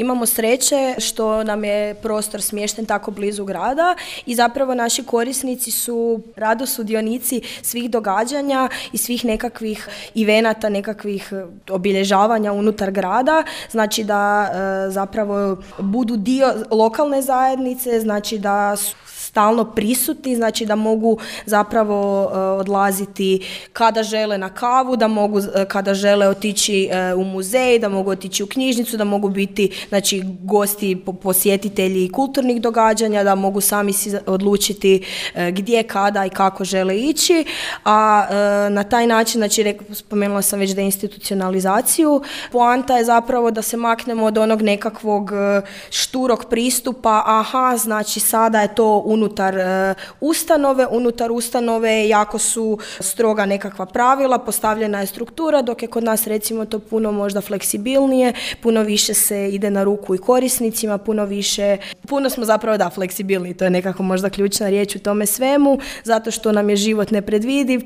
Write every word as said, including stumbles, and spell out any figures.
Imamo sreće što nam je prostor smješten tako blizu grada i zapravo naši korisnici su rado sudionici svih događanja i svih nekakvih evenata, nekakvih obilježavanja unutar grada, znači da e, zapravo budu dio lokalne zajednice, znači da su stalno prisutni, znači da mogu zapravo uh, odlaziti kada žele na kavu, da mogu uh, kada žele otići uh, u muzej, da mogu otići u knjižnicu, da mogu biti znači gosti, posjetitelji kulturnih događanja, da mogu sami si odlučiti uh, gdje, kada i kako žele ići, a uh, na taj način, znači rekla, spomenula sam već deinstitucionalizaciju, poanta je zapravo da se maknemo od onog nekakvog uh, šturog pristupa, aha, znači sada je to unutar uh, ustanove, unutar ustanove jako su stroga nekakva pravila, postavljena je struktura, dok je kod nas recimo to puno možda fleksibilnije, puno više se ide na ruku i korisnicima, puno više, puno smo zapravo da fleksibilni, to je nekako možda ključna riječ u tome svemu, zato što nam je život nepredvidiv,